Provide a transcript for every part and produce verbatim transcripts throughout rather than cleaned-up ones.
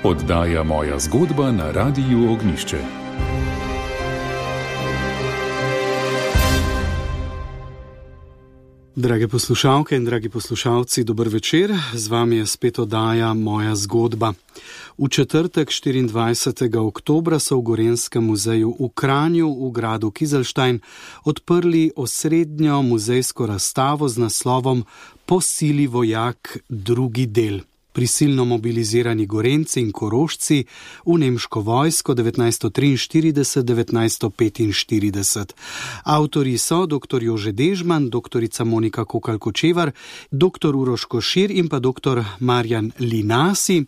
Oddaja Moja zgodba na Radiu Ognjišče. Drage poslušalke in dragi poslušalci, dober večer. Z vami je spet oddaja Moja zgodba. V četrtek štiriindvajsetega oktobra so v Gorenjskem muzeju v Kranju v gradu Kizlštajn odprli osrednjo muzejsko razstavo z naslovom Po sili vojak drugi del. Prisilno mobilizirani Gorenjci in Korošci v nemško vojsko devetnajststo triinštirideset do devetnajststo petinštirideset. Avtorji so dr. Jože Dežman, doktorica Monika Kokalj-Kočevar, dr. Uroš Košir in pa dr. Marjan Linasi.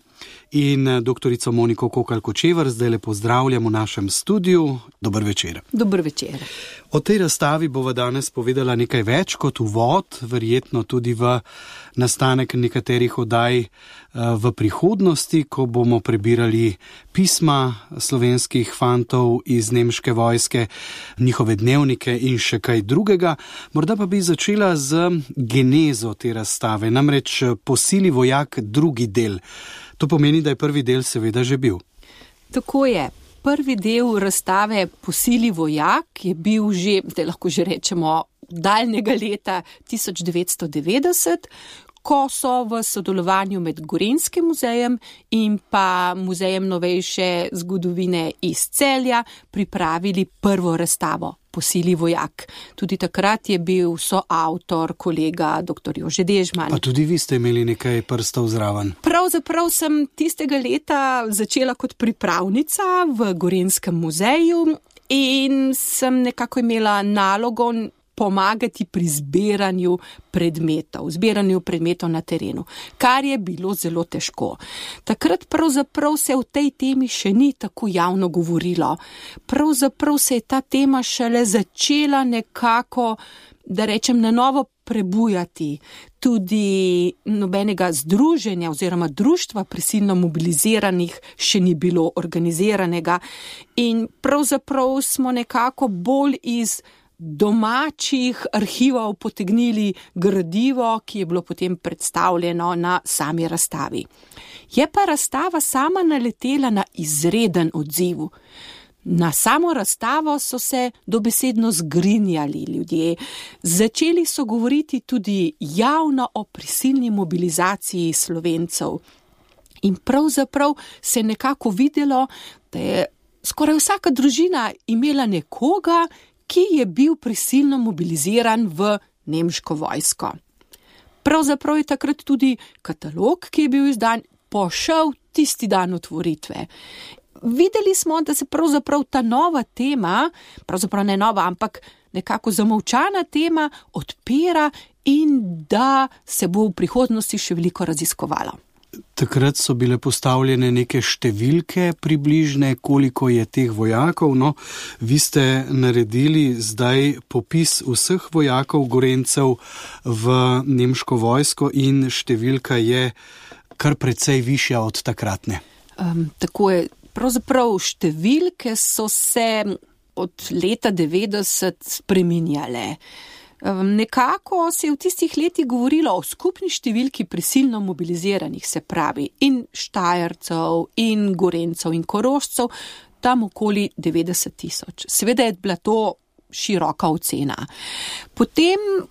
In doktorico Moniko Kokalj-Kočevar zdaj le pozdravljam v našem studiu. Dober večer. Dober večer. O tej razstavi bova danes povedala nekaj več kot uvod, verjetno tudi v nastanek nekaterih oddaj v prihodnosti, ko bomo prebirali pisma slovenskih fantov iz nemške vojske, njihove dnevnike in še kaj drugega. Morda pa bi začela z genezo te razstave, namreč Po sili vojak drugi del. To pomeni, da je prvi del seveda že bil. Tako je. Prvi del razstave Po sili vojak je bil že, zdaj lahko že rečemo, daljnega leta tisoč devetsto devetdeset, ko so v sodelovanju med Gorenjskim muzejem in pa Muzejem novejše zgodovine iz Celja pripravili prvo razstavo Po sili vojak. Tudi takrat je bil soavtor kolega dr. Jože Dežman. Pa tudi vi ste imeli nekaj prstov zraven. Pravzaprav sem tistega leta začela kot pripravnica v Gorenjskem muzeju in sem nekako imela nalogo pomagati pri zbiranju predmetov, zbiranju predmetov na terenu, kar je bilo zelo težko. Takrat pravzaprav se o tej temi še ni tako javno govorilo. Pravzaprav se je ta tema šele začela nekako, da rečem, na novo prebujati. Tudi nobenega združenja oziroma društva prisilno mobiliziranih še ni bilo organiziranega in pravzaprav smo nekako bolj iz domačih arhivov potegnili gradivo, ki je bilo potem predstavljeno na sami razstavi. Je pa razstava sama naletela na izreden odziv. Na samo razstavo so se dobesedno zgrinjali ljudje. Začeli so govoriti tudi javno o prisilni mobilizaciji Slovencev. In pravzaprav se je nekako videlo, da je skoraj vsaka družina imela nekoga, ki je bil prisilno mobiliziran v nemško vojsko. Pravzaprav je takrat tudi katalog, ki je bil izdan, pošel tisti dan otvoritve. Videli smo, da se pravzaprav ta nova tema, pravzaprav ne nova, ampak nekako zamolčana tema odpira in da se bo v prihodnosti še veliko raziskovalo. Takrat so bile postavljene neke številke približne, koliko je teh vojakov. No, vi ste naredili zdaj popis vseh vojakov Gorenjcev v nemško vojsko in številka je kar precej višja od takratne. Um, tako je. Pravzaprav številke so se od leta devetdeset spreminjale. Nekako se je v tistih letih govorilo o skupni številki prisilno mobiliziranih, se pravi, in Štajercev, in Gorenjcev, in Korošcev, tam okoli devetdeset tisoč. Seveda je bila to široka ocena. Potem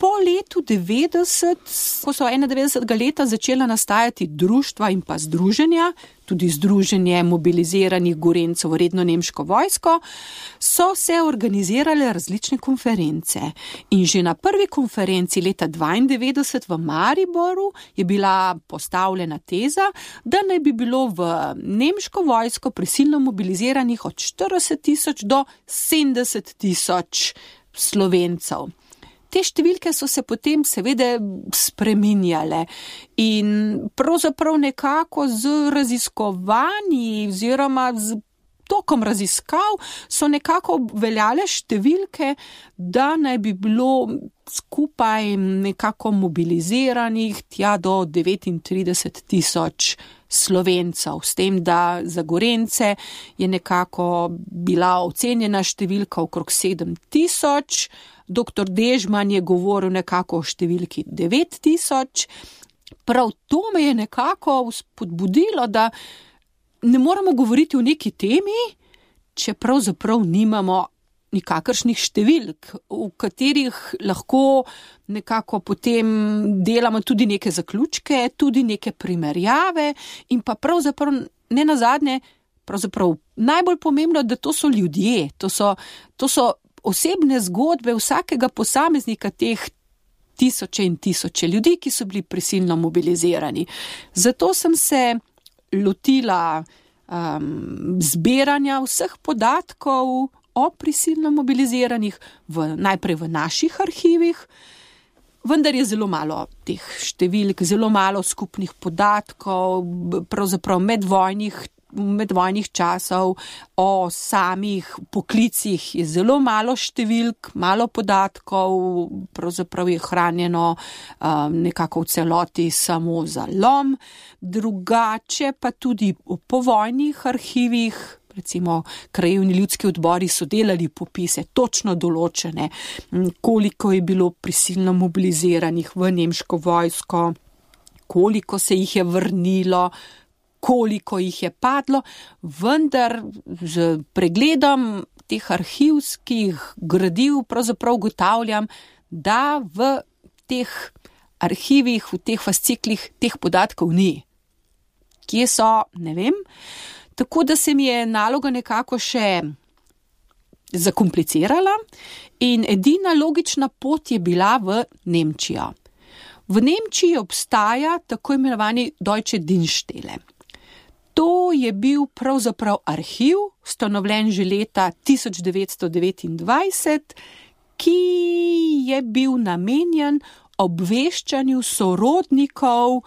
po letu devetdeset, ko so enaindevetdesetega leta začela nastajati društva in pa združenja, tudi združenje mobiliziranih Gorenjcev v redno nemško vojsko, so se organizirale različne konference. In že na prvi konferenci leta dvaindevetdeset v Mariboru je bila postavljena teza, da naj bi bilo v nemško vojsko prisilno mobiliziranih od štirideset tisoč do sedemdeset tisoč Slovencev. Te številke so se potem seveda spreminjale in pravzaprav nekako z raziskovanji oziroma z tokom raziskav so nekako veljale številke, da naj bi bilo skupaj nekako mobiliziranih tja do devetintrideset tisoč Slovencev, s tem, da za Gorenjce je nekako bila ocenjena številka okrog sedem tisoč, doktor Dežman je govoril nekako o številki devet tisoč. Prav to me je nekako spodbudilo, da ne moramo govoriti o neki temi, če pravzaprav nimamo nikakršnih številk, v katerih lahko nekako potem delamo tudi neke zaključke, tudi neke primerjave in pa pravzaprav ne nazadnje, pravzaprav najbolj pomembno, da to so ljudje, to so, to so osebne zgodbe vsakega posameznika teh tisoče in tisoče ljudi, ki so bili prisilno mobilizirani. Zato sem se lotila um, zbiranja vseh podatkov o prisilno mobiliziranih, v, najprej v naših arhivih, vendar je zelo malo teh številk, zelo malo skupnih podatkov, pravzaprav medvojnih, medvojnih časov, o samih poklicih je zelo malo številk, malo podatkov, pravzaprav je hranjeno um, nekako v celoti samo za lom, drugače pa tudi v povojnih arhivih, recimo krajevni ljudski odbori so delali popise, točno določene, koliko je bilo prisilno mobiliziranih v nemško vojsko, koliko se jih je vrnilo, koliko jih je padlo, vendar z pregledom teh arhivskih gradiv pravzaprav ugotavljam, da v teh arhivih, v teh fasciklih teh podatkov ni. Kje so, ne vem. Tako da se mi je naloga nekako še zakomplicirala in edina logična pot je bila v Nemčijo. V Nemčiji obstaja tako imenovani Deutsche Dienststelle. To je bil pravzaprav arhiv, ustanovljen že leta tisoč devetsto devetindvajset, ki je bil namenjen obveščanju sorodnikov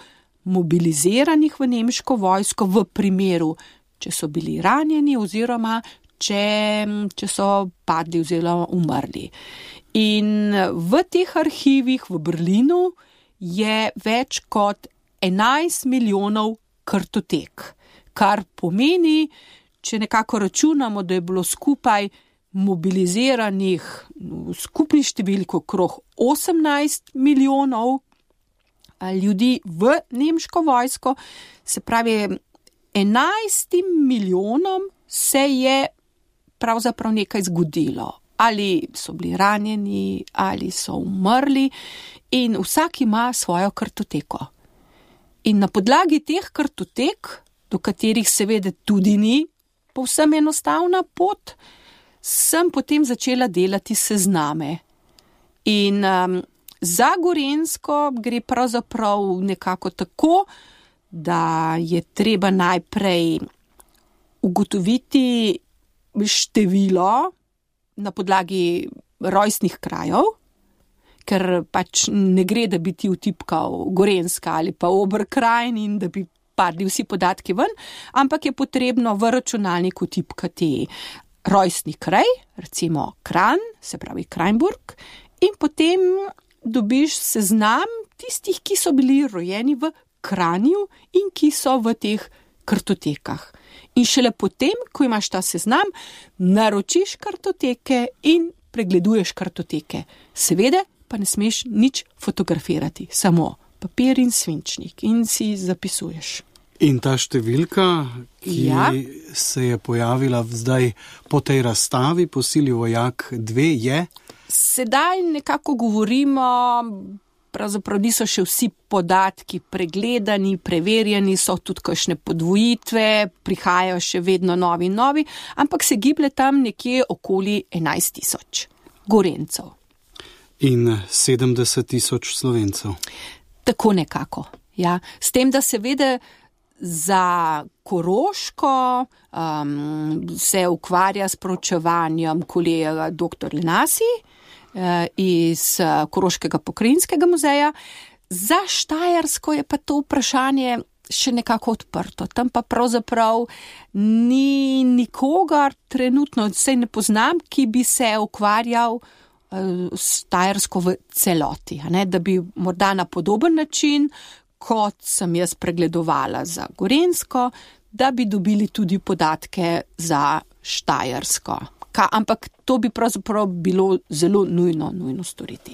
mobiliziranih v nemško vojsko v primeru, če so bili ranjeni oziroma če, če so padli oziroma umrli. In v teh arhivih v Berlinu je več kot enajst milijonov kartotek, kar pomeni, če nekako računamo, da je bilo skupaj mobiliziranih v skupni številki okrog osemnajst milijonov ljudi v nemško vojsko, se pravi, enajstim milijonom se je pravzaprav nekaj zgodilo. Ali so bili ranjeni, ali so umrli in vsak ima svojo kartoteko. In na podlagi teh kartotek, do katerih seveda tudi ni povsem enostavna pot, sem potem začela delati sezname. In um, za Gorenjsko gre pravzaprav nekako tako, da je treba najprej ugotoviti število na podlagi rojstnih krajev, ker pač ne gre, da bi ti vtipkal Gorenjska ali pa Oberkrajn in da bi padli vsi podatki ven, ampak je potrebno v računalniku vtipkati rojstni kraj, recimo Kranj, se pravi Krajnburg, in potem dobiš seznam tistih, ki so bili rojeni v Kranju in ki so v teh kartotekah. In šele potem, ko imaš ta seznam, naročiš kartoteke in pregleduješ kartoteke. Seveda pa ne smeš nič fotografirati, samo papir in svinčnik in si zapisuješ. In ta številka, ki ja. se je pojavila zdaj po tej razstavi, po Sili vojak dve, je? Sedaj nekako govorimo, pravzaprav niso še vsi podatki pregledani, preverjeni, so tudi kakšne podvojitve, prihajajo še vedno novi in novi, ampak se giblje tam nekje okoli enajst tisoč Gorenjcev. In sedemdeset tisoč Slovencev. Tako nekako, ja. S tem, da seveda za Koroško um, se ukvarja s proučevanjem kolega doktor Lenasi uh, iz uh, Koroškega pokrajinskega muzeja. Za Štajersko je pa to vprašanje še nekako odprto. Tam pa pravzaprav ni nikogar trenutno, saj ne poznam, ki bi se ukvarjal uh, s Štajersko v celoti, a ne, da bi morda na podoben način, kot sem jaz pregledovala za Gorenjsko, da bi dobili tudi podatke za Štajersko. Ka, ampak to bi pravzaprav bilo zelo nujno, nujno storiti.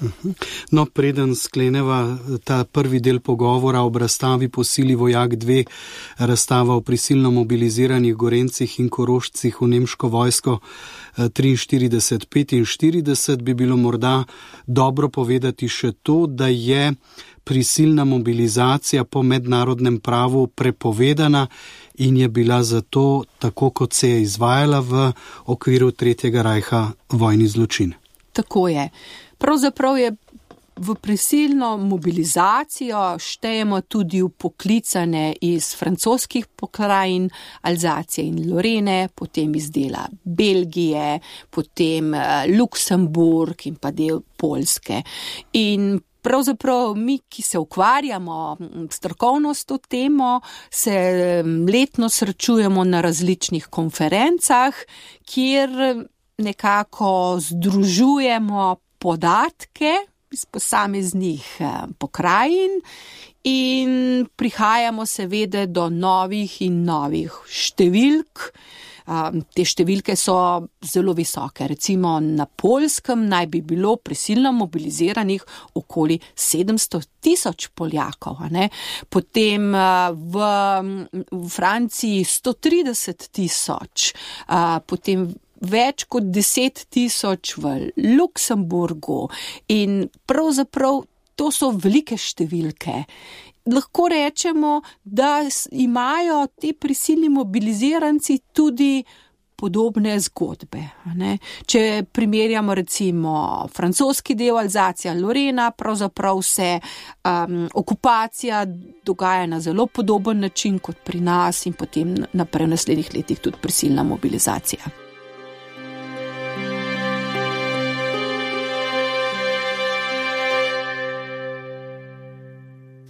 No, preden skleneva ta prvi del pogovora ob razstavi Po sili vojak dve, razstava o prisilno mobiliziranih Gorencih in Korošcih v nemško vojsko triinštirideset petinštirideset, bi bilo morda dobro povedati še to, da je prisilna mobilizacija po mednarodnem pravu prepovedana in je bila zato, tako kot se je izvajala v okviru Tretjega rajha, vojni zločin. Tako je. Pravzaprav je v prisilno mobilizacijo štejemo tudi vpoklicane iz francoskih pokrajin, Alzacije in Lorene, potem iz dela Belgije, potem Luksemburg in pa del Poljske. In pravzaprav mi, ki se ukvarjamo strokovno s to temo, se letno srečujemo na različnih konferencah, kjer nekako združujemo podatke iz posameznih pokrajin in prihajamo seveda do novih in novih številk. Te številke so zelo visoke. Recimo na Poljskem naj bi bilo prisilno mobiliziranih okoli sedemsto tisoč Poljakov, ne? Potem v, v Franciji sto trideset tisoč, potem več kot deset tisoč v Luksemburgu in pravzaprav to so velike številke. Lahko rečemo, da imajo ti prisilni mobiliziranci tudi podobne zgodbe. Ne? Če primerjamo recimo francoski del Alzacija Lorena, pravzaprav se um, okupacija dogaja na zelo podoben način kot pri nas in potem naprej v naslednjih letih tudi prisilna mobilizacija.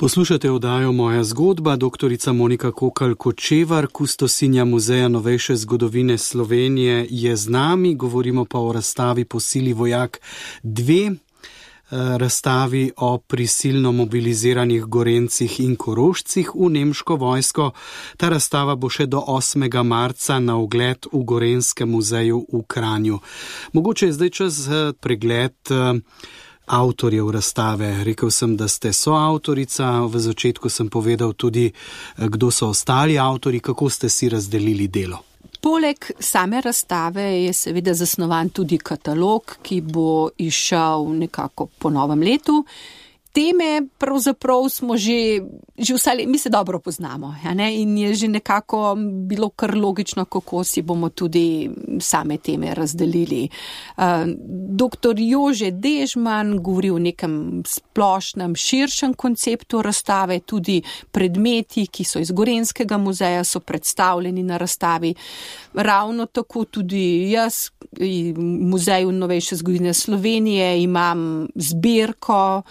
Poslušate oddajo Moja zgodba, doktorica Monika Kokalj-Kočevar, kustosinja Muzeja novejše zgodovine Slovenije je z nami, govorimo pa o razstavi Po sili vojak dve, razstavi o prisilno mobiliziranih Gorencih in Korošcih v nemško vojsko. Ta razstava bo še do osmega marca na ogled v Gorenskem muzeju v Kranju. Mogoče je zdaj čas pregled avtorjev razstave. Rekel sem, da ste soavtorica, v začetku sem povedal tudi, kdo so ostali avtori, kako ste si razdelili delo. Poleg same razstave je seveda zasnovan tudi katalog, ki bo izšel nekako po novem letu. Teme pravzaprav smo že, že vse, mi se dobro poznamo, ja ne? In je že nekako bilo kar logično, kako si bomo tudi same teme razdelili. Uh, doktor Jože Dežman govori o nekem splošnem, širšem konceptu razstave, tudi predmeti, ki so iz Gorenskega muzeja, so predstavljeni na razstavi. Ravno tako tudi jaz v Muzeju novejše zgodovine Slovenije imam zbirko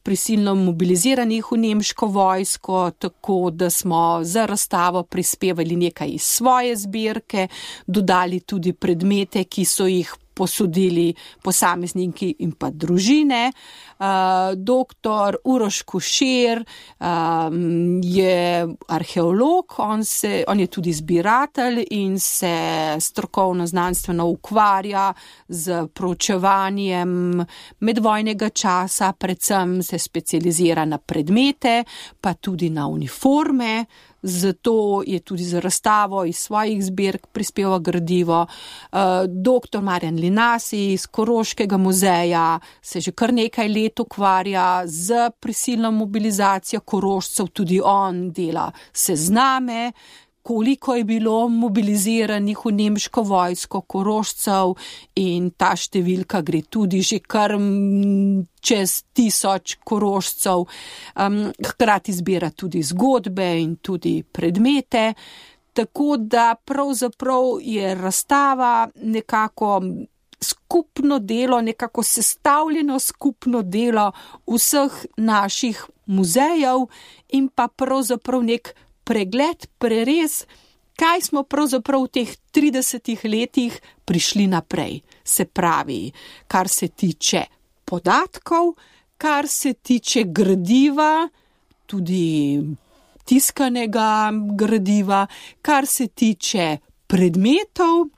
prisilno mobiliziranih v nemško vojsko, tako da smo za razstavo prispevali nekaj iz svoje zbirke, dodali tudi predmete, ki so jih posodili posamezniki in pa družine. Uh, doktor Uroš Košir um, je arheolog, on, se, on je tudi zbiratelj in se strokovno znanstveno ukvarja z proučevanjem medvojnega časa, predvsem se specializira na predmete, pa tudi na uniforme. Zato je tudi za razstavo iz svojih zbirk prispeval gradivo. Doktor Marjan Linasi iz Koroškega muzeja se že kar nekaj let ukvarja z prisilno mobilizacijo Korošcev, tudi on dela sezname, koliko je bilo mobiliziranih v nemško vojsko Korošcev in ta številka gre tudi že kar čez tisoč Korošcev. Um, hkrati zbira tudi zgodbe in tudi predmete, tako da pravzaprav je razstava nekako skupno delo, nekako sestavljeno skupno delo vseh naših muzejev in pa pravzaprav nek pregled, prerez, kaj smo pravzaprav v teh tridesetih letih prišli naprej. Se pravi, kar se tiče podatkov, kar se tiče gradiva, tudi tiskanega gradiva, kar se tiče predmetov,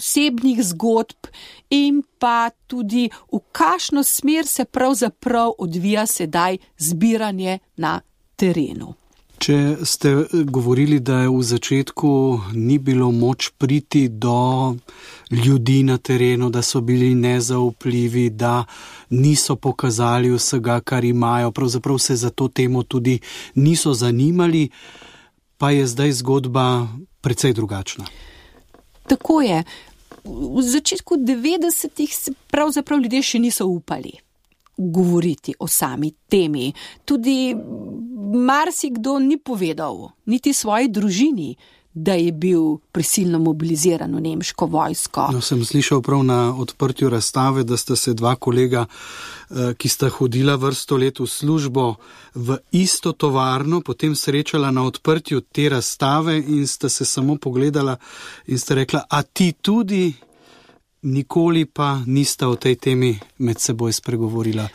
osebnih zgodb in pa tudi v kakšno smer se pravzaprav odvija sedaj zbiranje na terenu. Če ste govorili, da je v začetku ni bilo moč priti do ljudi na terenu, da so bili nezaupljivi, da niso pokazali vsega, kar imajo, pravzaprav se za to temo tudi niso zanimali, pa je zdaj zgodba precej drugačna. Tako je. V začetku devetdesetih se pravzaprav ljudje še niso upali govoriti o sami temi. Tudi marsikdo ni povedal, niti svoji družini, da je bil prisilno mobiliziran v nemško vojsko. No, sem slišal prav na odprtju razstave, da sta se dva kolega, ki sta hodila vrsto let v službo v isto tovarno, potem srečala na odprtju te razstave in sta se samo pogledala in sta rekla, a ti tudi? Nikoli pa nista o tej temi med seboj spregovorila.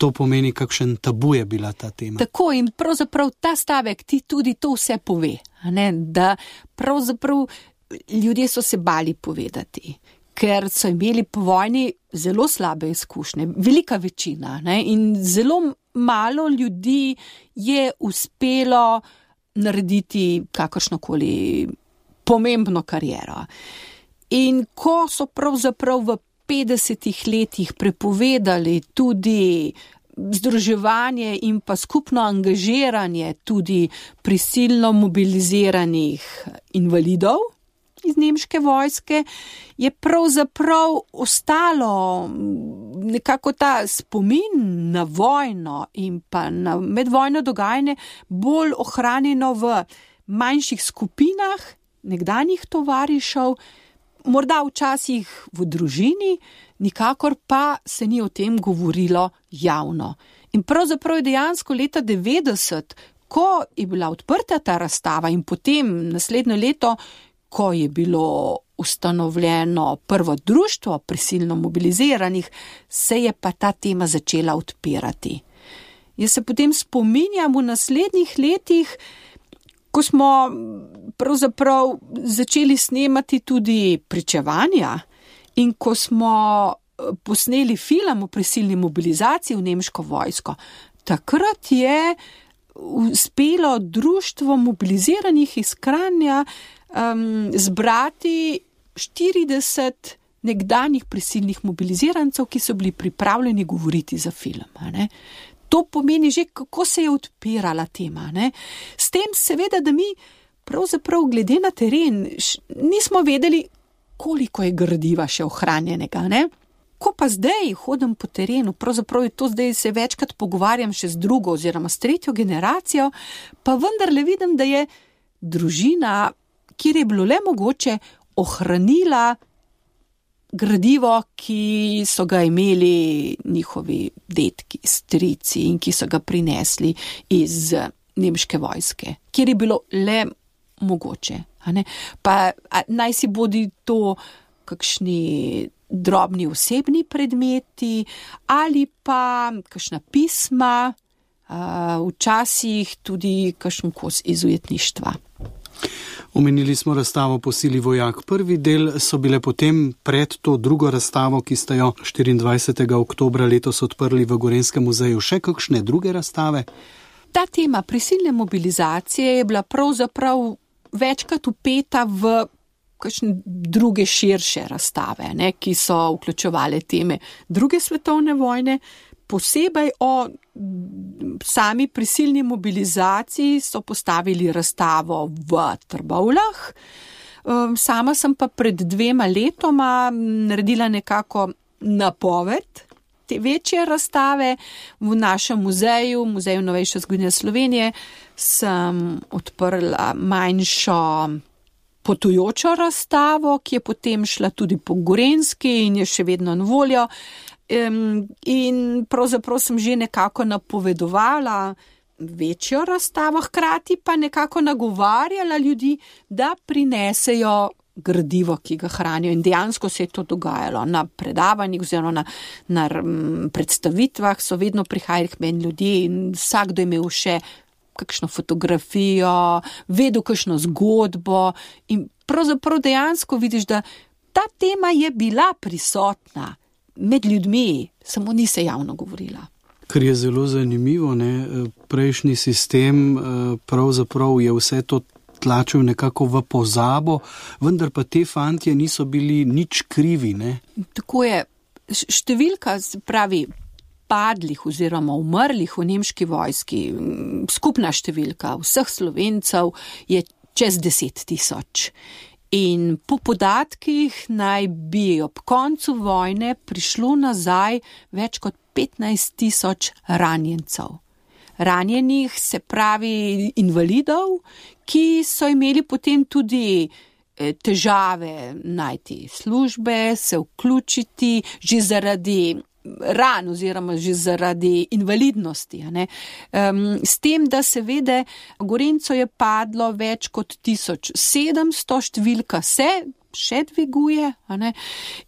To pomeni, kakšen tabu je bila ta tema. Tako, in pravzaprav ta stavek ti tudi to vse pove, ne? Da pravzaprav ljudje so se bali povedati, ker so imeli po vojni zelo slabe izkušnje, velika večina, ne? In zelo malo ljudi je uspelo narediti kakršnokoli pomembno kariero. In ko so pravzaprav v petdesetih letih prepovedali tudi združevanje in pa skupno angažiranje tudi prisilno mobiliziranih invalidov iz nemške vojske, je pravzaprav ostalo nekako ta spomin na vojno in pa na medvojno dogajanje bolj ohranjeno v manjših skupinah nekdanjih tovarišev, morda včasih v družini, nikakor pa se ni o tem govorilo javno. In pravzaprav je dejansko leta devetdeset, ko je bila odprta ta razstava in potem naslednje leto, ko je bilo ustanovljeno prvo društvo prisilno mobiliziranih, se je pa ta tema začela odpirati. Jaz se potem spominjam v naslednjih letih, ko smo pravzaprav začeli snemati tudi pričevanja in ko smo posneli film o prisilni mobilizaciji v nemško vojsko, takrat je uspelo društvo mobiliziranih iz Kranja um, zbrati štirideset nekdanjih prisilnih mobilizirancev, ki so bili pripravljeni govoriti za film, ne? To pomeni že, kako se je odpirala tema, ne? S tem seveda, da mi pravzaprav glede na teren nismo vedeli, koliko je gradiva še ohranjenega, ne? Ko pa zdaj hodim po terenu, pravzaprav je to zdaj se večkrat pogovarjam še z drugo oziroma s tretjo generacijo, pa vendarle vidim, da je družina, kjer je bilo le mogoče, ohranila gradivo, ki so ga imeli njihovi dedki, strici in ki so ga prinesli iz nemške vojske, kjer je bilo le mogoče. A ne? Pa a, naj si bodi to kakšni drobni osebni predmeti ali pa kakšna pisma, a, včasih tudi kakšen kos iz ujetništva. Omenili smo razstavo Po sili vojak. Prvi del so bile potem pred to drugo razstavo, ki sta jo štiriindvajsetega oktobra letos odprli v Gorenjskem muzeju, še kakšne druge razstave? Ta tema prisilne mobilizacije je bila pravzaprav večkrat vpeta v kakšne druge širše razstave, ne, ki so vključevale teme druge svetovne vojne. Posebej o sami prisilni mobilizaciji so postavili razstavo v Trbovljah. Sama sem pa pred dvema letoma naredila nekako napoved te večje razstave v našem muzeju, Muzeju novejše zgodovine Slovenije, sem odprla manjšo potujočo razstavo, ki je potem šla tudi po Gorenjski in je še vedno na voljo. Um, in pravzaprav sem že nekako napovedovala večjo razstavo, hkrati pa nekako nagovarjala ljudi, da prinesejo gradivo, ki ga hranijo. In dejansko se je to dogajalo na predavanjih oziroma na, na um, predstavitvah, so vedno prihajali k meni ljudje in vsakdo je imel še kakšno fotografijo, vedel kakšno zgodbo in pravzaprav dejansko vidiš, da ta tema je bila prisotna med ljudmi, samo ni se javno govorila. Kar je zelo zanimivo, ne, prejšnji sistem pravzaprav je vse to tlačil nekako v pozabo, vendar pa te fantje niso bili nič krivi, ne? Tako je, številka, pravi, padlih oziroma umrlih v nemški vojski, skupna številka vseh Slovencev je čez deset tisoč. In po podatkih naj bi ob koncu vojne prišlo nazaj več kot petnajst tisoč ranjencev. Ranjenih, se pravi invalidov, ki so imeli potem tudi težave najti službe, se vključiti že zaradi ran oziroma že zaradi invalidnosti. Ne? Um, s tem, da seveda Gorenjcev je padlo več kot tisoč sedemsto, številka se še dviguje, a ne?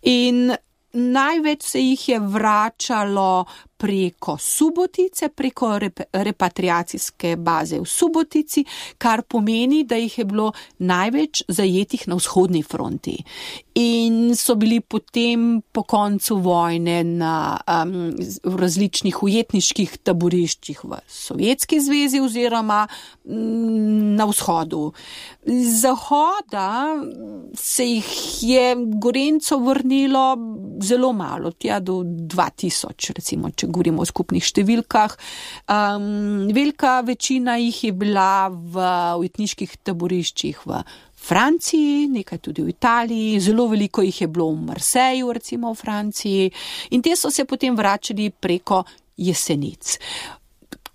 In največ se jih je vračalo preko Subotice, preko rep- repatriacijske baze v Subotici, kar pomeni, da jih je bilo največ zajetih na vzhodni fronti. In so bili potem po koncu vojne na um, v različnih ujetniških taboriščih v Sovjetski zvezi oziroma um, na vzhodu. Z zahoda se jih je Gorenjcev vrnilo zelo malo, tja do dva tisoč, recimo, če govorimo o skupnih številkah. Um, velika večina jih je bila v ujetniških taboriščih v Franciji, nekaj tudi v Italiji, zelo veliko jih je bilo v Marseju, recimo v Franciji, in te so se potem vračali preko Jesenic.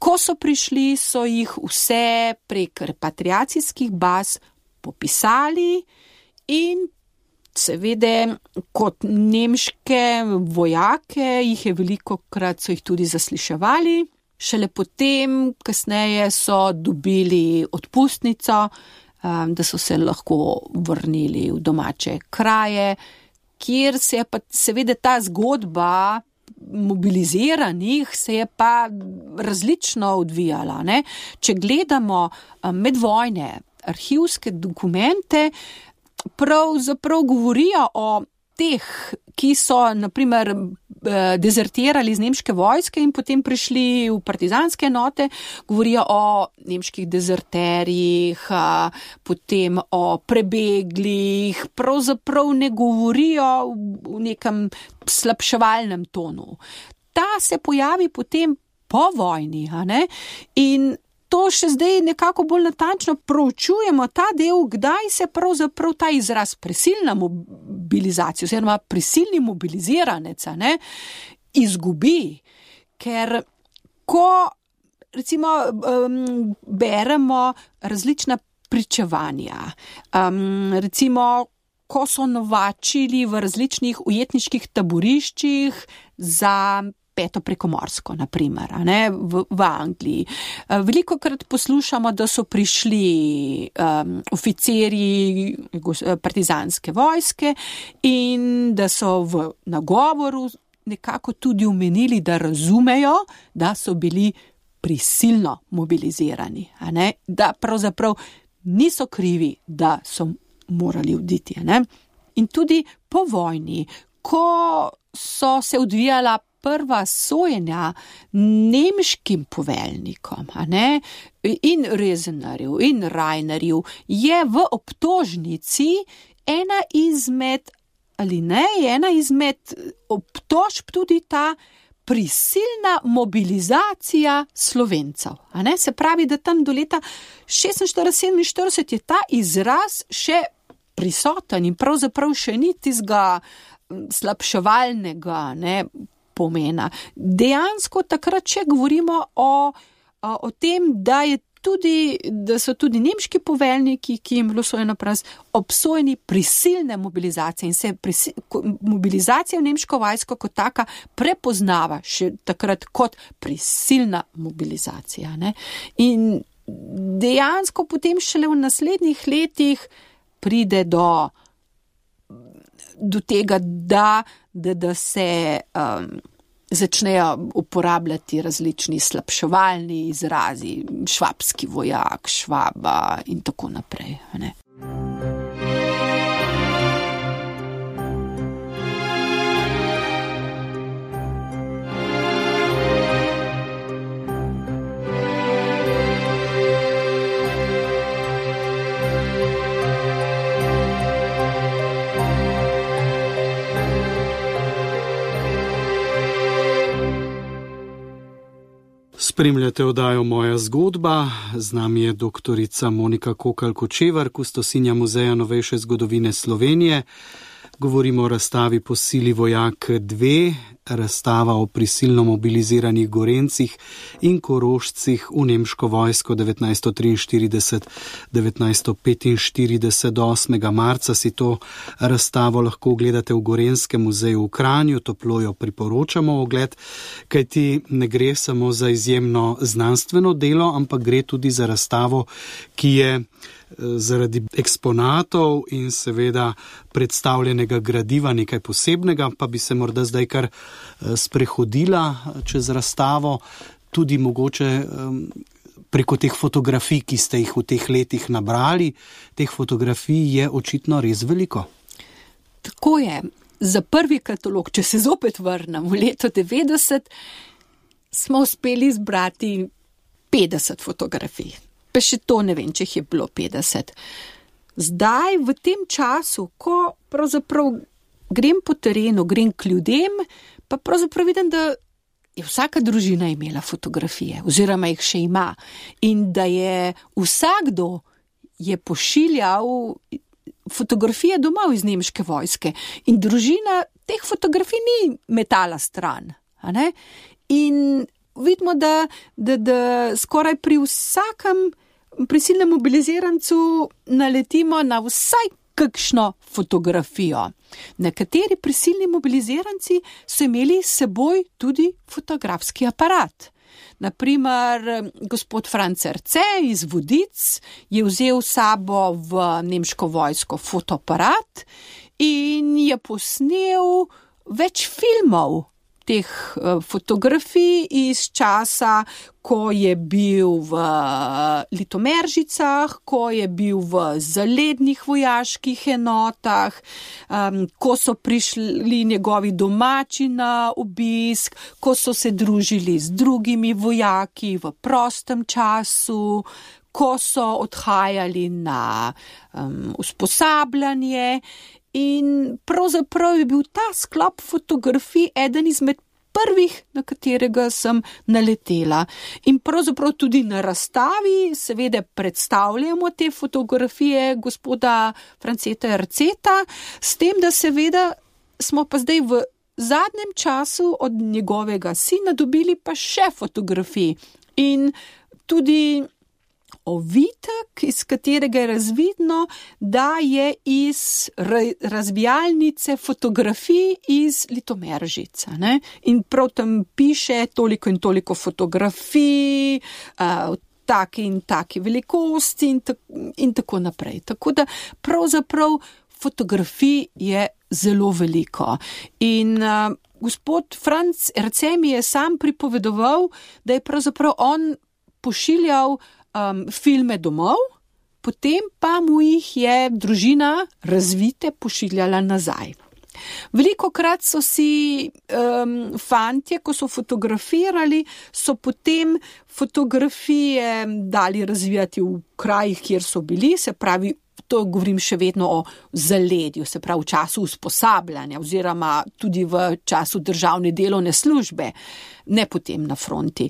Ko so prišli, so jih vse prek repatriacijskih baz popisali in seveda kot nemške vojake jih je velikokrat so jih tudi zasliševali. Šele potem, kasneje so dobili odpustnico, da so se lahko vrnili v domače kraje, kjer se je pa seveda ta zgodba mobiliziranih se je pa različno odvijala. Ne? Če gledamo medvojne arhivske dokumente, pravzaprav govorijo o teh, ki so naprimer dezertirali iz nemške vojske in potem prišli v partizanske enote, govorijo o nemških dezerterjih, potem o prebeglih, pravzaprav ne govorijo v nekem slabševalnem tonu. Ta se pojavi potem po vojni, a ne? In to še zdaj nekako bolj natančno proučujemo ta del, kdaj se pravzaprav ta izraz prisilna mobilizacija oziroma prisilni mobiliziranec, ne, izgubi. Ker ko recimo um, beremo različna pričevanja, um, recimo ko so novačili v različnih ujetniških taboriščih za peto prekomorsko, naprimer, ne, v, v Angliji. Velikokrat poslušamo, da so prišli um, oficirji partizanske vojske in da so v nagovoru nekako tudi omenili, da razumejo, da so bili prisilno mobilizirani, a ne, da pravzaprav niso krivi, da so morali oditi. Ne. In tudi po vojni, ko so se odvijala prva sojenja nemškim poveljnikom, a ne, in Rezenarju in Rainerju, je v obtožnici ena izmed, ali ne, ena izmed obtožb tudi ta prisilna mobilizacija Slovencev. A ne, se pravi, da tam do leta šestinštirideset sedeminštirideset je ta izraz še prisoten in pravzaprav še ni tistega slabševalnega, ne, pomena. Dejansko takrat še govorimo o, o, o tem, da, je tudi, da so tudi nemški poveljniki, ki jim bilo sojeno pras, obsojeni prisilne mobilizacije in se prisil, mobilizacija v nemško vojsko kot taka prepoznava še takrat kot prisilna mobilizacija. Ne? In dejansko potem šele v naslednjih letih pride do do tega, da, da, da se um, začnejo uporabljati različni slabševalni izrazi, švabski vojak, švaba in tako naprej. Ne? Spremljate oddajo Moja zgodba, z nami je doktorica Monika Kokalj-Kočevar, kustosinja Muzeja novejše zgodovine Slovenije. Govorimo o razstavi Po sili vojak dve, razstava o prisilno mobiliziranih Gorencih in Korošcih v nemško vojsko devetnajststo triinštirideset do devetnajststo petinštirideset. Do osmega marca si to razstavo lahko ogledate v Gorenjskem muzeju v Kranju, toplo jo priporočamo ogled, kajti ne gre samo za izjemno znanstveno delo, ampak gre tudi za razstavo, ki je zaradi eksponatov in seveda predstavljenega gradiva nekaj posebnega, pa bi se morda zdaj kar sprehodila čez razstavo, tudi mogoče preko teh fotografij, ki ste jih v teh letih nabrali. Teh fotografij je očitno res veliko. Tako je. Za prvi katalog, če se zopet vrnem v leto devetdeset, smo uspeli zbrati petdeset fotografij. Pa še to ne vem, če jih je bilo petdeset. Zdaj, v tem času, ko pravzaprav grem po terenu, grem k ljudem, pa pravzaprav vidim, da je vsaka družina imela fotografije, oziroma jih še ima. In da je vsakdo je pošiljal fotografije domov iz nemške vojske. In družina teh fotografij ni metala stran. A ne? In vidimo, da, da, da skoraj pri vsakem prisilnem mobilizirancu naletimo na vsaj kakšno fotografijo. Nekateri prisilni mobiliziranci so imeli s seboj tudi fotografski aparat. Naprimer, gospod Franc Erce iz Vodic je vzel sabo v nemško vojsko fotoaparat in je posnel več filmov teh fotografij iz časa, ko je bil v Litomeržicah, ko je bil v zalednih vojaških enotah, um, ko so prišli njegovi domači na obisk, ko so se družili z drugimi vojaki v prostem času, ko so odhajali na um, usposabljanje. In pravzaprav je bil ta sklop fotografij eden izmed prvih, na katerega sem naletela. In pravzaprav tudi na razstavi seveda predstavljamo te fotografije gospoda Franceta Erceta, s tem, da seveda smo pa zdaj v zadnjem času od njegovega sina dobili pa še fotografij. In tudi ovitek, iz katerega je razvidno, da je iz razvijalnice fotografij iz Litomeržica. Ne? In prav tam piše toliko in toliko fotografij, uh, take in take velikosti in, ta- in tako naprej. Tako da pravzaprav fotografij je zelo veliko. In uh, gospod Franc Erce mi je sam pripovedoval, da je pravzaprav on pošiljal Um, filme domov, potem pa mu jih je družina razvite pošiljala nazaj. Velikokrat so si um, fantje, ko so fotografirali, so potem fotografije dali razvijati v krajih, kjer so bili, se pravi, to govorim še vedno o zaledju, se pravi v času usposabljanja oziroma tudi v času državne delovne službe, ne potem na fronti.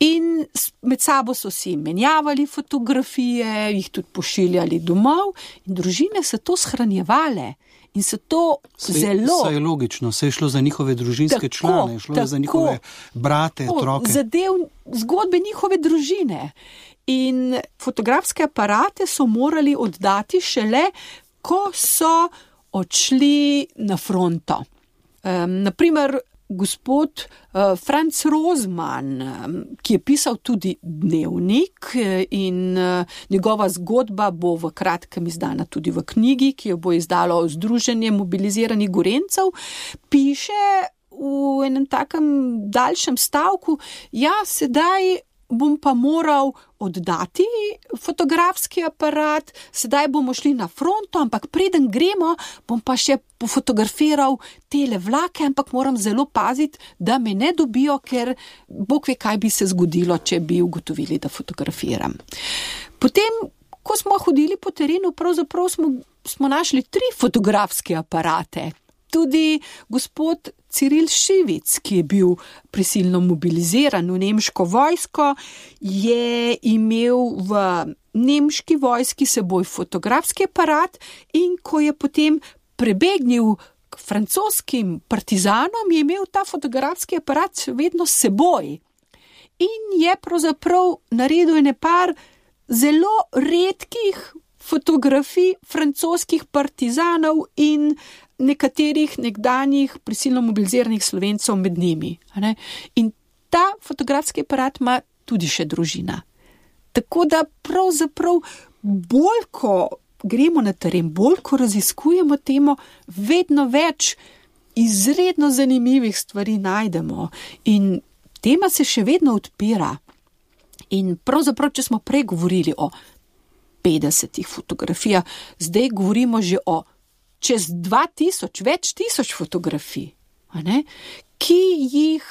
In med sabo so si menjavali fotografije, jih tudi pošiljali domov in družine so to shranjevale. In so to sej, zelo... Saj je logično, saj je šlo za njihove družinske tako, člane, šlo je za njihove brate, tako, otroke. Zadev zgodbe njihove družine. In fotografske aparate so morali oddati šele, ko so odšli na fronto. Um, naprimer, gospod uh, Franz Rozman, um, ki je pisal tudi dnevnik in uh, njegova zgodba bo v kratkem izdana tudi v knjigi, ki jo bo izdalo Združenje mobiliziranih Gorencev, piše v enem takem daljšem stavku, ja, sedaj bom pa moral oddati fotografski aparat, sedaj bomo šli na fronto, ampak preden gremo, bom pa še pofotografiral tele vlake, ampak moram zelo paziti, da me ne dobijo, ker Bog ve, kaj bi se zgodilo, če bi ugotovili, da fotografiram. Potem, ko smo hodili po terenu, pravzaprav smo, smo našli tri fotografske aparate. tudi gospod Ciril Šivic, ki je bil prisilno mobiliziran v nemško vojsko, je imel v nemški vojski seboj fotografski aparat in ko je potem prebegnil k francoskim partizanom, je imel ta fotografski aparat vedno s seboj. In je pravzaprav naredil ene par zelo redkih fotografij francoskih partizanov in nekaterih nekdanjih prisilno mobiliziranih Slovencev med njimi. In ta fotografski aparat ima tudi še družina. Tako da pravzaprav bolj, ko gremo na teren, bolj, ko raziskujemo temo, vedno več izredno zanimivih stvari najdemo. In tema se še vedno odpira. In pravzaprav, če smo prej govorili o petdesetih fotografijah, zdaj govorimo že o čez dva tisoč, več tisoč fotografij, a ne? Ki jih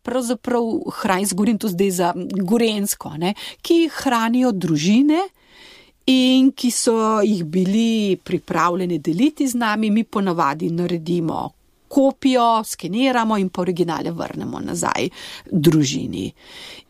pravzaprav hranijo, govorim tu zdaj za Gorenjsko, a ne? Ki jih hranijo družine in ki so jih bili pripravljeni deliti z nami, mi ponavadi naredimo kopijo, skeniramo in pa originale vrnemo nazaj družini.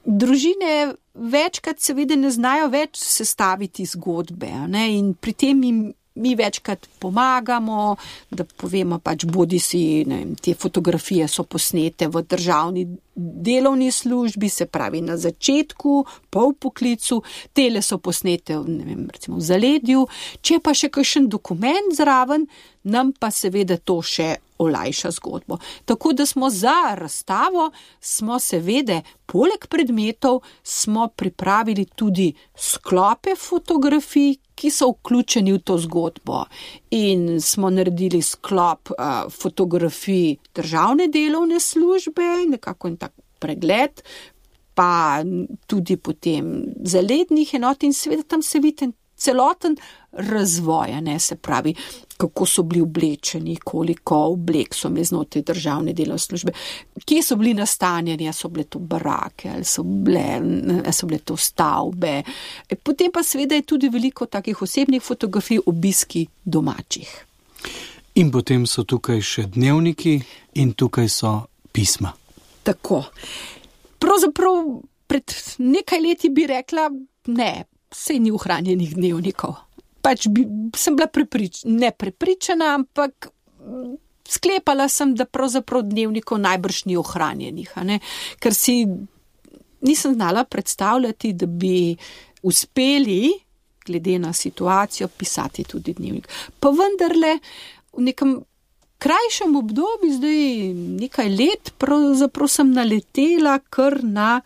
Družine večkrat seveda ne znajo več sestaviti zgodbe, ne? In pri tem jim mi večkrat pomagamo, da povemo pač bodi si, ne vem, te fotografije so posnete v državni delovni službi, se pravi na začetku, po poklicu, tele so posnete ne vem, recimo v zaledju, če pa še kakšen dokument zraven, nam pa seveda to še olajša zgodbo. Tako da smo za razstavo, smo seveda poleg predmetov, smo pripravili tudi sklope fotografij, ki so vključeni v to zgodbo. In smo naredili sklop uh, fotografij državne delovne službe, nekako en tak pregled, pa tudi potem zalednih enot in seveda tam se vidi celoten razvoj, ne, se pravi, kako so bili oblečeni, koliko oblek so imeli znotraj državne delovne službe, kje so bili nastanjeni, so bile to barake, ali so bile, so bile to stavbe. Potem pa seveda je tudi veliko takih osebnih fotografij, obiski domačih. In potem so tukaj še dnevniki in tukaj so pisma. Tako. Pravzaprav pred nekaj leti bi rekla, ne, sej ni ohranjenih dnevnikov. Pač bi, sem bila preprič, ne prepričana, ampak sklepala sem, da pravzaprav dnevnikov najbrž ni ohranjenih, a ne? Ker si nisem znala predstavljati, da bi uspeli, glede na situacijo, pisati tudi dnevnik. Pa vendarle v nekem krajšem obdobju, zdaj nekaj let, pravzaprav sem naletela kar na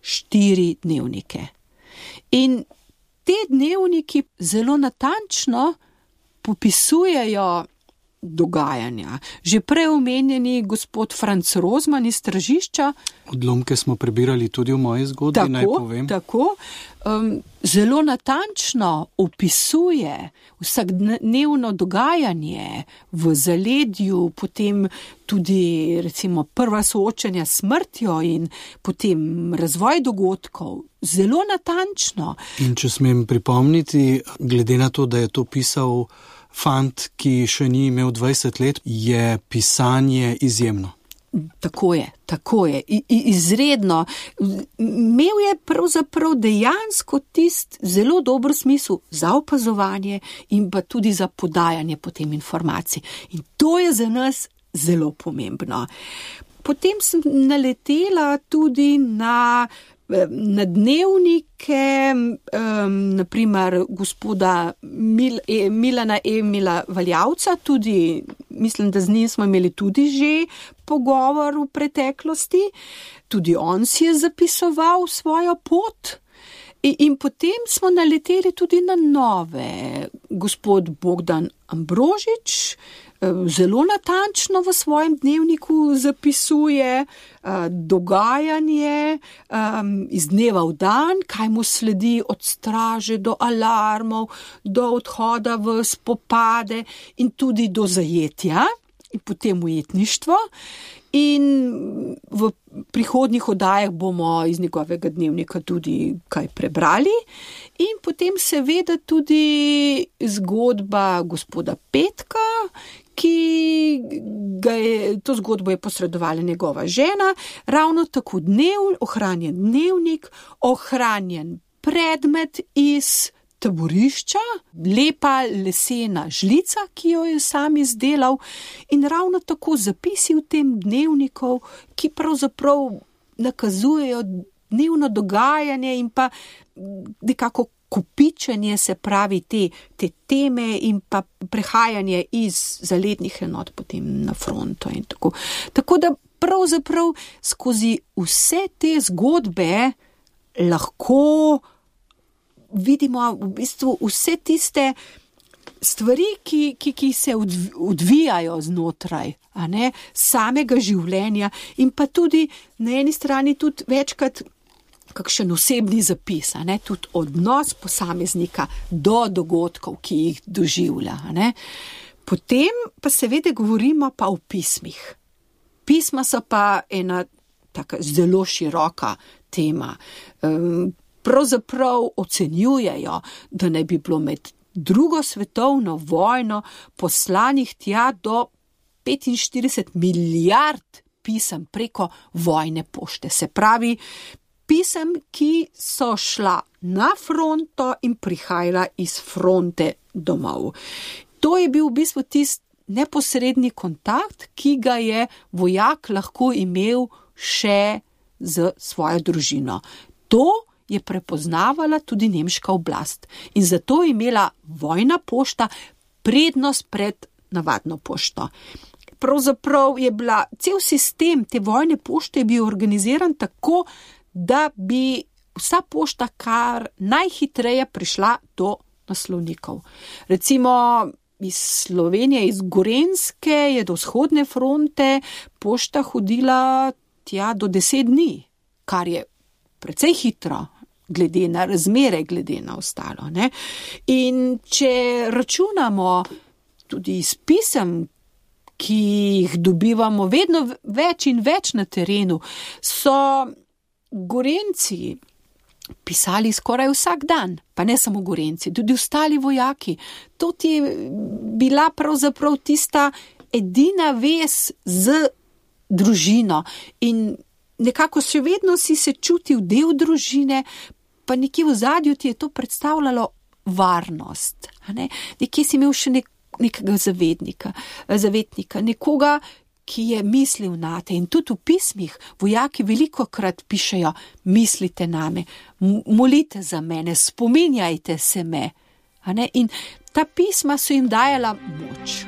štiri dnevnike. In te dnevniki zelo natančno popisujejo dogajanja. Že prej omenjeni gospod Franc Rozman iz Tržišča. Odlomke smo prebirali tudi v moji zgodbi, tako, naj povem. Tako, um, zelo natančno opisuje vsakdnevno dogajanje v zaledju, potem tudi recimo prva soočenja s smrtjo in potem razvoj dogodkov. Zelo natančno. In če smem pripomniti, glede na to, da je to pisal fant, ki še ni imel dvajset let, je pisanje izjemno. Tako je, tako je, I, izredno. Imel je pravzaprav dejansko tist zelo dober smisel za opazovanje in pa tudi za podajanje potem informacij. In to je za nas zelo pomembno. Potem sem naletela tudi na na dnevnike, um, naprimer gospoda Mil, e, Milana Emila Valjavca, tudi, mislim, da z njim smo imeli tudi že pogovor v preteklosti, tudi on si je zapisoval svojo pot in, in potem smo naleteli tudi na nove. Gospod Bogdan Ambrožič zelo natančno v svojem dnevniku zapisuje uh, dogajanje um, iz dneva v dan, kaj mu sledi od straže do alarmov, do odhoda v spopade in tudi do zajetja in potem ujetništvo. In v prihodnjih oddajah bomo iz njegovega dnevnika tudi kaj prebrali. In potem seveda tudi zgodba gospoda Petka, ki ga je, to zgodbo je posredovala njegova žena, ravno tako dnev, ohranjen dnevnik, ohranjen predmet iz taborišča, lepa lesena žlica, ki jo je sam izdelal, in ravno tako zapisi v tem dnevniku, ki pravzaprav nakazujejo dnevno dogajanje in pa nekako kopičenje, se pravi te, te teme in pa prehajanje iz zalednih enot potem na fronto in tako. Tako da pravzaprav skozi vse te zgodbe lahko vidimo v bistvu vse tiste stvari, ki, ki, ki se odvijajo znotraj, a ne, samega življenja in pa tudi na eni strani tudi večkrat kakšen osebni zapis, a ne, tudi odnos posameznika do dogodkov, ki jih doživlja. A ne. Potem pa seveda govorimo pa o pismih. Pisma so pa ena taka zelo široka tema. Um, pravzaprav ocenjujejo, da naj bi bilo med drugo svetovno vojno poslanih tja do petinštirideset milijard pisem preko vojne pošte. Se pravi, pisem, ki so šla na fronto in prihajala iz fronte domov. To je bil v bistvu tisti neposredni kontakt, ki ga je vojak lahko imel še z svojo družino. To je prepoznavala tudi nemška oblast in zato je imela vojna pošta prednost pred navadno pošto. Pravzaprav je bila cel sistem te vojne pošte je bil organiziran tako, da bi vsa pošta kar najhitreje prišla do naslovnikov. Recimo iz Slovenije, iz Gorenjske je do vzhodne fronte pošta hodila tja do deset dni, kar je precej hitro, glede na razmere, glede na ostalo. Ne? In če računamo tudi iz pisem, ki jih dobivamo vedno več in več na terenu, so Gorenjci pisali skoraj vsak dan, pa ne samo Gorenjci, tudi ostali vojaki. To je bila pravzaprav tista edina vez z družino in nekako še vedno si se čutil del družine, pa nekje v zadju ti je to predstavljalo varnost. Ne? Nekje si imel še nek, nekega zavednika, zavetnika, nekoga, ki je mislil nate. In tudi v pismih vojaki velikokrat pišejo, mislite name, molite za mene, spominjajte se me. Ne? In ta pisma so jim dajala moč.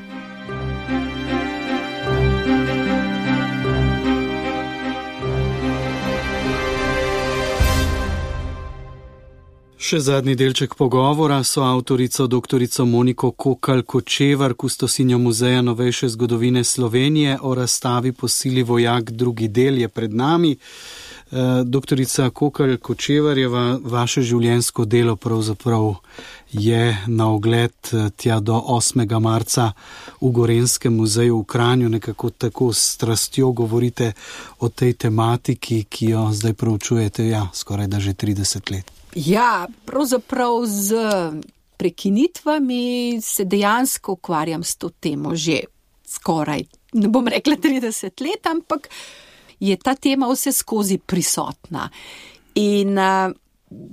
Še zadnji delček pogovora so avtorico doktorico Moniko Kokalj-Kočevar, kustosinjo Muzeja novejše zgodovine Slovenije, o razstavi Po sili vojak drugi del je pred nami. Doktorica Kokalj-Kočevarjeva, vaše življenjsko delo pravzaprav je na ogled tja do osmega marca v Gorenjskem muzeju v Kranju. Nekako tako s strastjo govorite o tej tematiki, ki jo zdaj proučujete, ja, skoraj da že trideset let. Ja, pravzaprav z prekinitvami se dejansko ukvarjam s to temo že skoraj, ne bom rekla trideset let, ampak je ta tema vse skozi prisotna. In uh,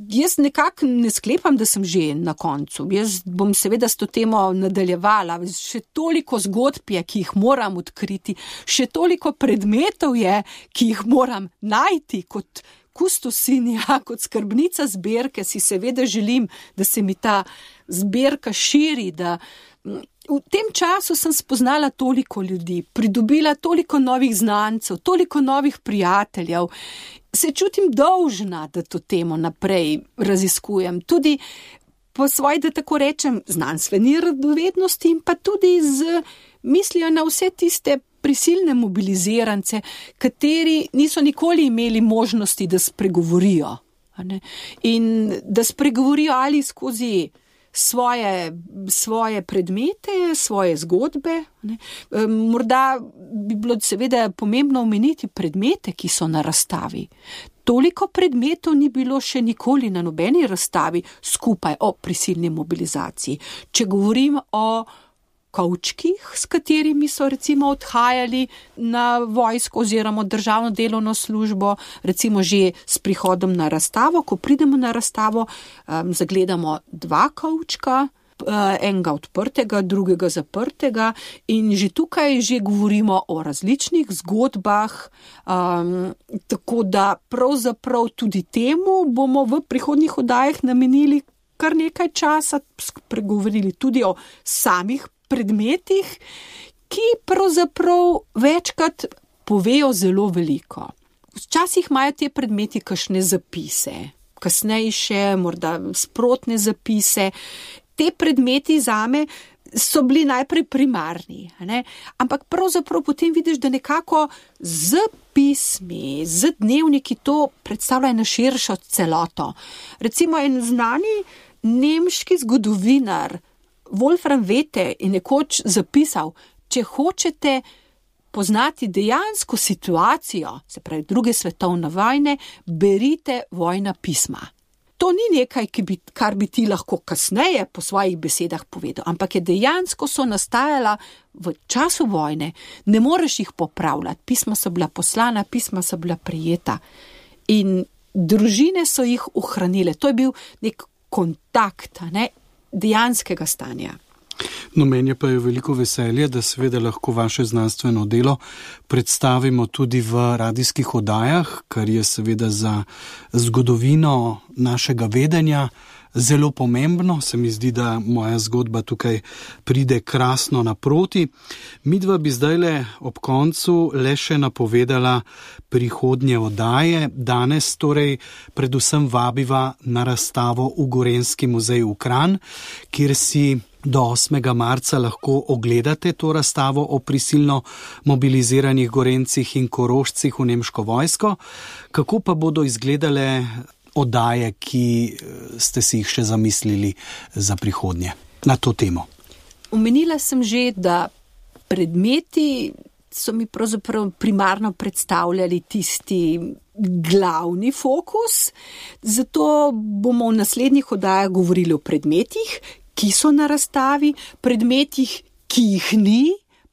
jaz nekako ne sklepam, da sem že na koncu. Jaz bom seveda s to temo nadaljevala. Še toliko zgodb je, ki jih moram odkriti, še toliko predmetov je, ki jih moram najti kot kustosinja, kot skrbnica zbirke. Si seveda želim, da se mi ta zbirka širi, da v tem času sem spoznala toliko ljudi, pridobila toliko novih znancev, toliko novih prijateljev. Se čutim dolžna, da to temo naprej raziskujem. Tudi po svoji, da tako rečem, znanstveni radovednosti in pa tudi z mislijo na vse tiste prisilne mobilizirance, kateri niso nikoli imeli možnosti, da spregovorijo. In da spregovorijo ali skozi svoje, svoje predmete, svoje zgodbe. Ne. Morda bi bilo seveda pomembno omeniti predmete, ki so na razstavi. Toliko predmetov ni bilo še nikoli na nobeni razstavi skupaj o prisilni mobilizaciji. Če govorim o kovčkih, s katerimi so recimo odhajali na vojsko oziroma državno delovno službo, recimo že s prihodom na razstavo. Ko pridemo na razstavo, um, zagledamo dva kovčka, enega odprtega, drugega zaprtega in že tukaj že govorimo o različnih zgodbah, um, tako da pravzaprav tudi temu bomo v prihodnjih oddajah namenili kar nekaj časa, pregovorili tudi o samih predmetih, ki pravzaprav večkrat povejo zelo veliko. Včasih imajo te predmeti kakšne zapise, kasnejše, morda sprotne zapise. Te predmeti zame so bili najprej primarni, ne? Ampak pravzaprav potem vidiš, da nekako z pismi, z dnevniki to predstavlja eno širšo celoto. Recimo en znani nemški zgodovinar Wolfram Wette je nekoč zapisal, če hočete poznati dejansko situacijo, se pravi druge svetovne vojne, berite vojna pisma. To ni nekaj, ki bi, kar bi ti lahko kasneje po svojih besedah povedal, ampak je dejansko so nastajala v času vojne, ne moreš jih popravljati, pisma so bila poslana, pisma so bila prijeta in družine so jih ohranile. To je bil nek kontakt, ne, dejanskega stanja. No, meni pa je veliko veselje, da seveda lahko vaše znanstveno delo predstavimo tudi v radijskih oddajah, kar je seveda za zgodovino našega vedenja zelo pomembno. Se mi zdi, da moja zgodba tukaj pride krasno naproti. Midva bi zdajle ob koncu le še napovedala prihodnje oddaje. Danes torej predvsem vabiva na razstavo v Gorenjski muzej v Kranj, kjer si do osmega marca lahko ogledate to razstavo o prisilno mobiliziranih Gorencih in Korošcih v nemško vojsko. Kako pa bodo izgledale oddaje, ki ste si jih še zamislili za prihodnje na to temo? Omenila sem že, da predmeti so mi pravzaprav primarno predstavljali tisti glavni fokus, zato bomo v naslednjih oddajah govorili o predmetih, ki so na razstavi, predmetih, ki jih ni,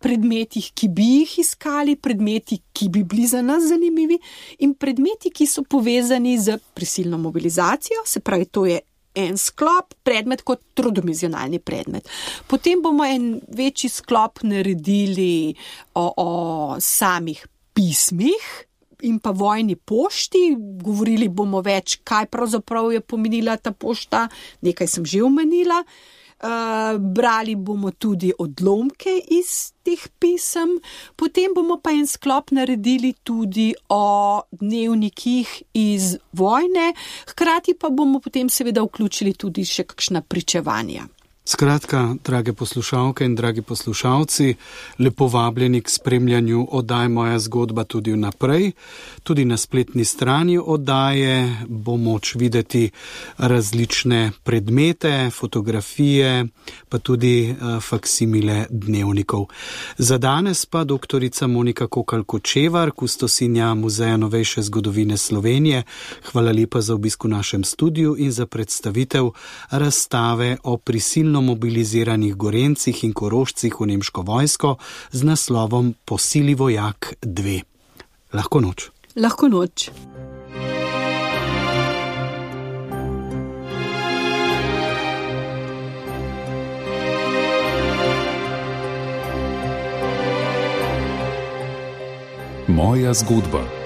predmetih, ki bi jih iskali, predmeti, ki bi bili za nas zanimivi in predmeti, ki so povezani z prisilno mobilizacijo, se pravi, to je en sklop, predmet kot trodimenzionalni predmet. Potem bomo en večji sklop naredili o, o samih pismih in pa vojni pošti, govorili bomo več, kaj pravzaprav je pomenila ta pošta, nekaj sem že omenila. Uh, brali bomo tudi odlomke iz teh pisem, potem bomo pa en sklop naredili tudi o dnevnikih iz vojne, hkrati pa bomo potem seveda vključili tudi še kakšna pričevanja. Skratka, drage poslušalke in dragi poslušalci, lepo vabljeni k spremljanju oddaj Moja zgodba tudi vnaprej. Tudi na spletni strani oddaje bo moč videti različne predmete, fotografije, pa tudi uh, faksimile dnevnikov. Za danes pa doktorica Monika Kokalj-Kočevar, kustosinja Muzeja novejše zgodovine Slovenije. Hvala lepa za obisk v našem studiu in za predstavitev razstave o prisilnosti mobiliziranih Gorencih in Korošcih v nemško vojsko z naslovom Po sili vojak dve. Lahko noč. Lahko noč. Moja zgodba.